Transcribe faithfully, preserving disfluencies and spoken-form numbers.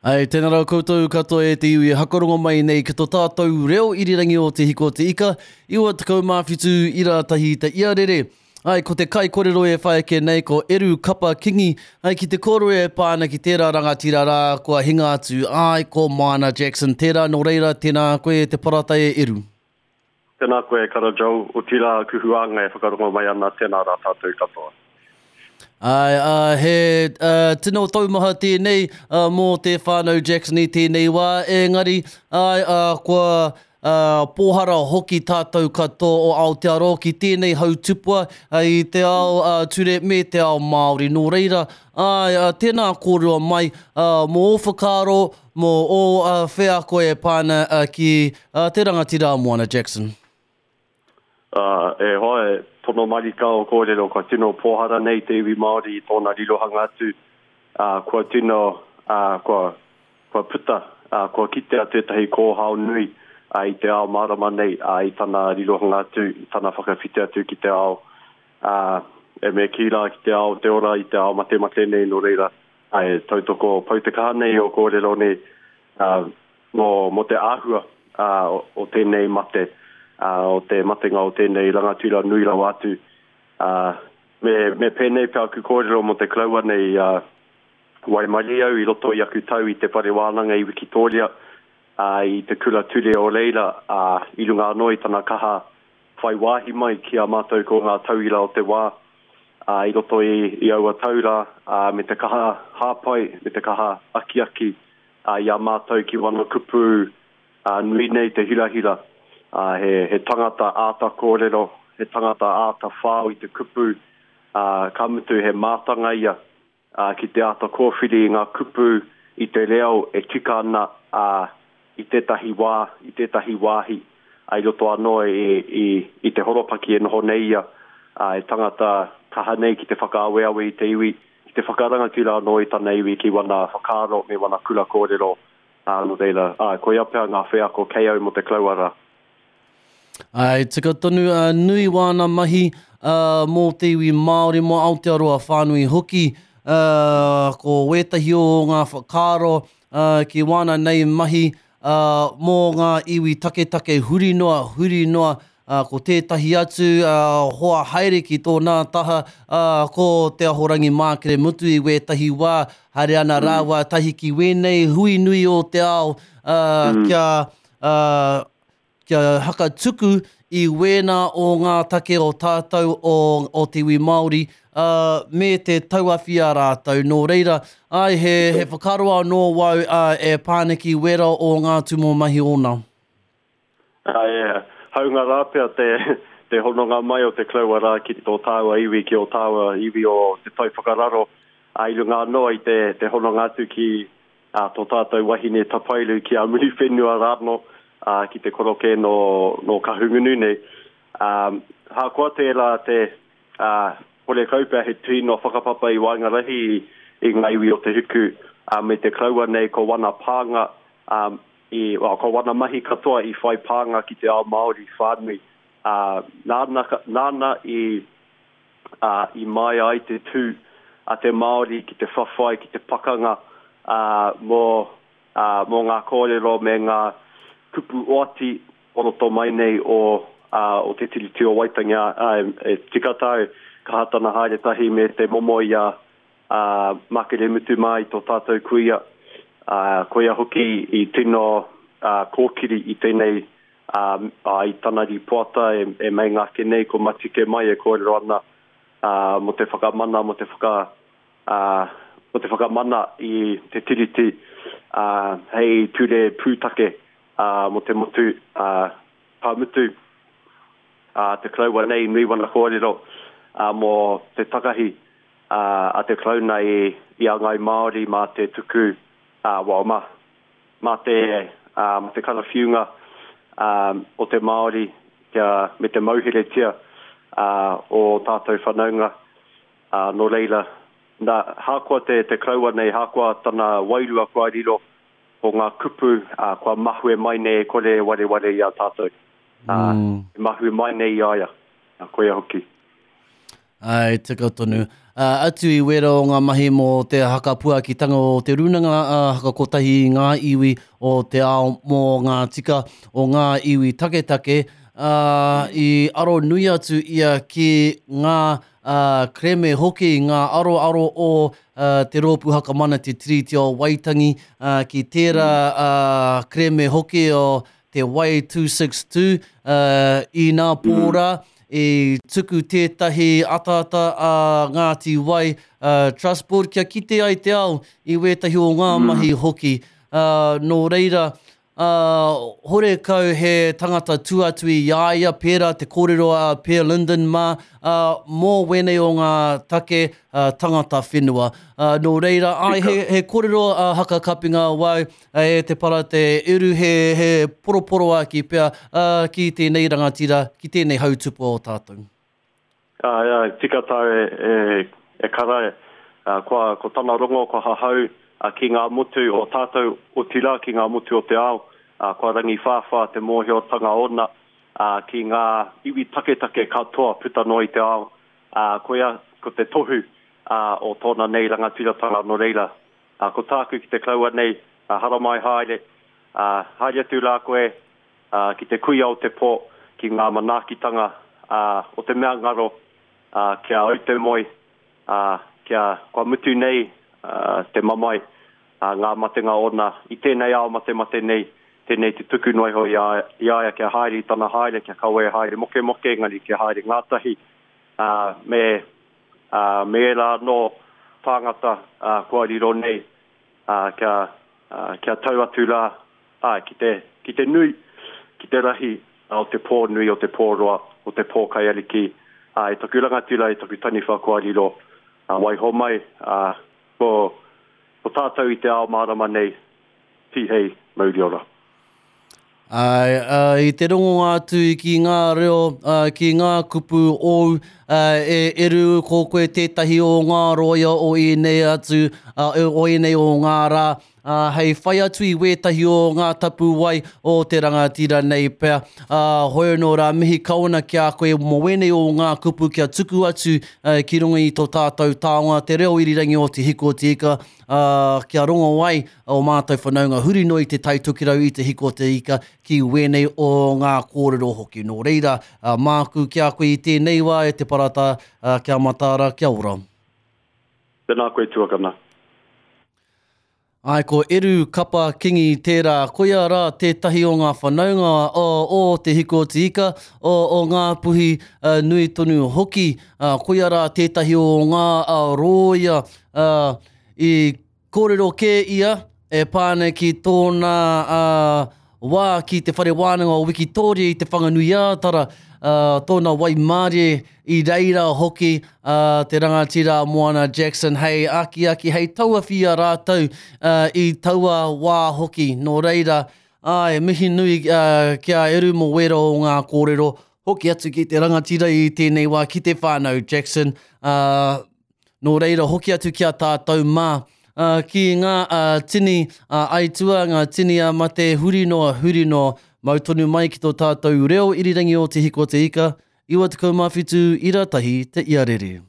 Ai, tēnā rā koutou katoa e te iwi e hakarongo mai nei ki tō tātou reo irirangi o Te Hiko o Te Ika, iwa tekau mā whitu ira tahi te iarere. Ai, ko te kaikorero e whai ake nei ko Eru Kapa Kingi, ai ki te kōrero e pā ana ki tērā rangatira rā kua hinga atu, ai, ko Moana Jackson tērā, nō reira, tēnā koe te parata e Eru. Tēnā koe Kara Joel, otirā aku huānga e whakarongo mai ana, tēnā rā tātou katoa. Ai, uh, he uh, tino taumaha tēnei uh, mō te whānau Jackson i tēnei wā, engari ai, uh, kua uh, pōhara hoki tātou katoa o Aotearoa ki tēnei hautupua uh, i te ao uh, ture me te ao Māori. Nō reira, ai, uh, tēnā kōrero mai uh, mō ō whakaaro, mō ō uh, wheako e pāna uh, ki uh, te rangatira Moana Jackson. Uh, e hoa, e pono marika o kōrero, kua tino pōhara nei te iwi Māori i tōna rirohanga atu, uh, kua tino, uh, kua, kua puta, uh, kua kitea tētahi kōhao nui uh, i te ao mārama nei, uh, i tana rirohanga atu, i tana whakawhiti atu ki te ao, uh, e me kī rā ki te ao te ora, i te ao matemate nei, nō reira, uh, e tautoko pau te kaha nei o kōrero nei, uh, mō, mō te āhua uh, o, o tēnei mate, Uh, o te matenga o tēnei rangatira nui rawa atu. Uh, me, me pēnei pea aku kōrero mō te karaua nei, uh, waimarie au i roto i aku tau i te whare wānanga i Wikitoria, uh, i te kura ture o reira, uh, i runga anō i tana kaha whai wāhi mai ki a mātou ko ngā tauira o te wā, uh, i roto i, i aua taura, uh, me te kaha hāpai, me te kaha akiaki, uh, i a mātou ki wana kupu uh, nui nei te hirahira. Uh, he, he tangata āta kōrero, he tangata āta whao i te kupu, uh, ka mutu he mātanga ia uh, ki te āta kōwhiri i ngā kupu i te reo e tika ana uh, i tētahi wā, i tētahi wāhi, uh, i roto anō i, i, i te horopaki e noho nei ia, uh, e tangata kaha nei ki te whakaaweawe i te iwi, ki te whakarangatira anō i tana iwi ki wana whakaaro me wana kura kōrero, uh, nō reira. Uh, koia pea ngā wheako kei au mō te karaua rā. Ai, tika tonu, uh, nui wāna mahi uh, mō te iwi Māori, mō Aotearoa whānui hoki, uh, ko wētahi o ngā whakaaro uh, ki wāna nei mahi uh, mō ngā iwi taketake huri noa, huri noa, uh, ko tētahi atu uh, hoa haere ki tōna taha, uh, ko Te Ahorangi Mākere Mutu i wētahi wā, haere ana mm. rāua tahi ki wēnei hui nui o te ao, uh, mm. kia... Uh, kia hakatuku i wēnā o ngā take o tātou o, o te iwi Māori, uh, me te tauawhi a rātou. Nō reira, ai, he, he whakaaro anō wau uh, e pāniki wera o ngā tūmomo mahi ōna. Ai, haunga rā pea te, te hononga mai o te karaua rā ki tō tāua iwi, ki o tāua iwi o te tai whakararo, ai runga anō i te, te hononga atu ki uh, tō tātou wahine tapairu ki a Muriwhenua rāno, Uh, ki te koroke no, no Kahungunu nei. Um, hakoa tērā te uh, hore kaupea he tino whakapapa i waengarahi i, i ngā iwi o te huku, uh, me te karaua nei ko wana pānga, um, i, well, ko wana mahi katoa i whai pānga ki te ao Māori whānui. Uh, nāna, nāna i, uh, i mai ai te tū a te Māori ki te whawhai, ki te pakanga uh, mō, uh, mō ngā kōrero me ngā kupu oati o roto mai nei o, uh, o te Tiriti o Waitangi. Uh, e tika tau, kaha tana haere tahi me te momo i a uh, Makere Mutu mā i tō tātou kuia. Uh, koia hoki i tino uh, kōkiri i tēnei uh, uh, i tana ripoata e, e meinga ake nei ko Matike mai e kōrero ana uh, mō te whakamana, mō te whaka, uh, mō te whakamana i te Tiriti uh, hei ture pūtake Uh, mō te motu, uh, ka mutu uh, te karaua nei nui wana kōrero uh, mō te takahi uh, a te karauna i, i a Ngai Māori mā te tuku, uh, well, mā, mā te, uh, mā te karawhiunga um, o te Māori kia, me te mauheretia uh, o tātou whanaunga. Uh, nō reira, nā, hakoa te, te karaua nei, hakoa tana wairua kua riro, ko ngā kupu uh, kua mahue mai nei e kore e wareware i a tātou. Uh, mm. E mahue mai nei i a ia. Uh, koia hoki. Ai, tika tonu. Atu i wera o ngā mahi mō te hakapuakitanga o te rūnanga hakakotahi i ngā iwi o te ao mō ngā tika o ngā iwi taketake, i aro nui atu ia ki ngā kereme hoki, ngā aroaro o te rōpū Hakamana te Tiriti o Waitangi, ki tērā kereme hoki o te Wai two six two i nā pō rā, i tuku tētahi ataata a Ngāti Wai Trust Board kia kite ai te ao i wētahi o ngā mahi hoki. Nō reira, horekau he tangata tuatu i a ia, pērā te kōrero a Pierre Linden mā, mō wēnei o ngā take tangata whenua. Nō reira, ai, he, he kōrero hakakapinga wau e te para te eru, he, he poroporoaki pea ki tēnei rangatira, ki tēnei hautupua o tātou. Ai, ai, tika tāu e, e, e kara, kua, ko tana rongo, kua hahau ki ngā motu o tātou, otirā ki ngā motu o te ao, kua rangiwhāwhā te mōhiotanga ona ki ngā iwi taketake katoa puta noa i te ao, koia ko te tohu o tōna nei rangatiratanga nō reira. Ko tāku ki te karaua nei, haramai haere, haere atu rā koe ki te kuia o te pō, ki ngā manaakitanga o te mea ngaro, kia au te moe, kia kua mutu nei te mamae, ngā matenga ona i tēnei ao matemate nei, tēnei te tuku noa iho i a ia kia haere i tana haere, kia kawe haere mokemoke, engari kia haere ngātahi, me, me ērā anō tāngata kua riro nei, kia, kia tau atu rā, ki te, ki te nui, ki te rahi o te pō nui, o te pō roa, o te pō kaiariki, e taku rangatira, e taku taniwha kua riro, waiho mai, ko, ko tātou i te ao mārama nei, tihei mauri ora. Ai, i te rongonga atu ki ngā reo, ki ngā kupu ou, e eru ko koe tētahi o ngā roia o ēnei atu, o ēnei o ngā rā, hei whai atu i wētahi o ngā tapuwai o te rangatira nei pea. Hoi anō rā, mihi kawana ki a koe mō wēnei o ngā kupu kia tuku atu ki runga i tō tātou taonga, te reo irirangi o Te Hiko o Te Ika, kia rongo ai o mātou whanaunga huri noa i te Tai Tokerau i Te Hiko o Te Ika ki wēnei o ngā kōrero hoki. Nō reira, māku ki a koe i tēnei wā e te parata, kia mataara, kia ora. Tēnā koe tuakana. Ai, ko Eru Kapa Kingi tērā, koia rā tētahi o ngā whanaunga o, o Te Hiko o Te Ika, o, o ngā puhi uh, nui tonu hoki, uh, koia rā tētahi o ngā uh, rōia uh, i kōrero kē ia e pāne ki tōna uh, wā ki te whare wānanga o Wikitoria i te Whanganui-ā-Tara, uh, tōna waimārie i reira hoki uh, te rangatira Moana Jackson hei akiaki, hei tauawhi a rātou uh, i taua wā hoki. Nō reira, ai, mihi nui uh, kia eru mō wera o ngā kōrero, hoki atu ki te rangatira i tēnei wā ki te whānau Jackson. Uh, nō reira, hoki atu ki a tātou mā, Uh, ki ngā uh, tini uh, aitua, ngā tini a mate huri noa, huri noa, mau tonu mai ki tō tātou reo irirangi o Te Hiko o Te Ika, iwa tekau mā whitu ira tahi te iarere.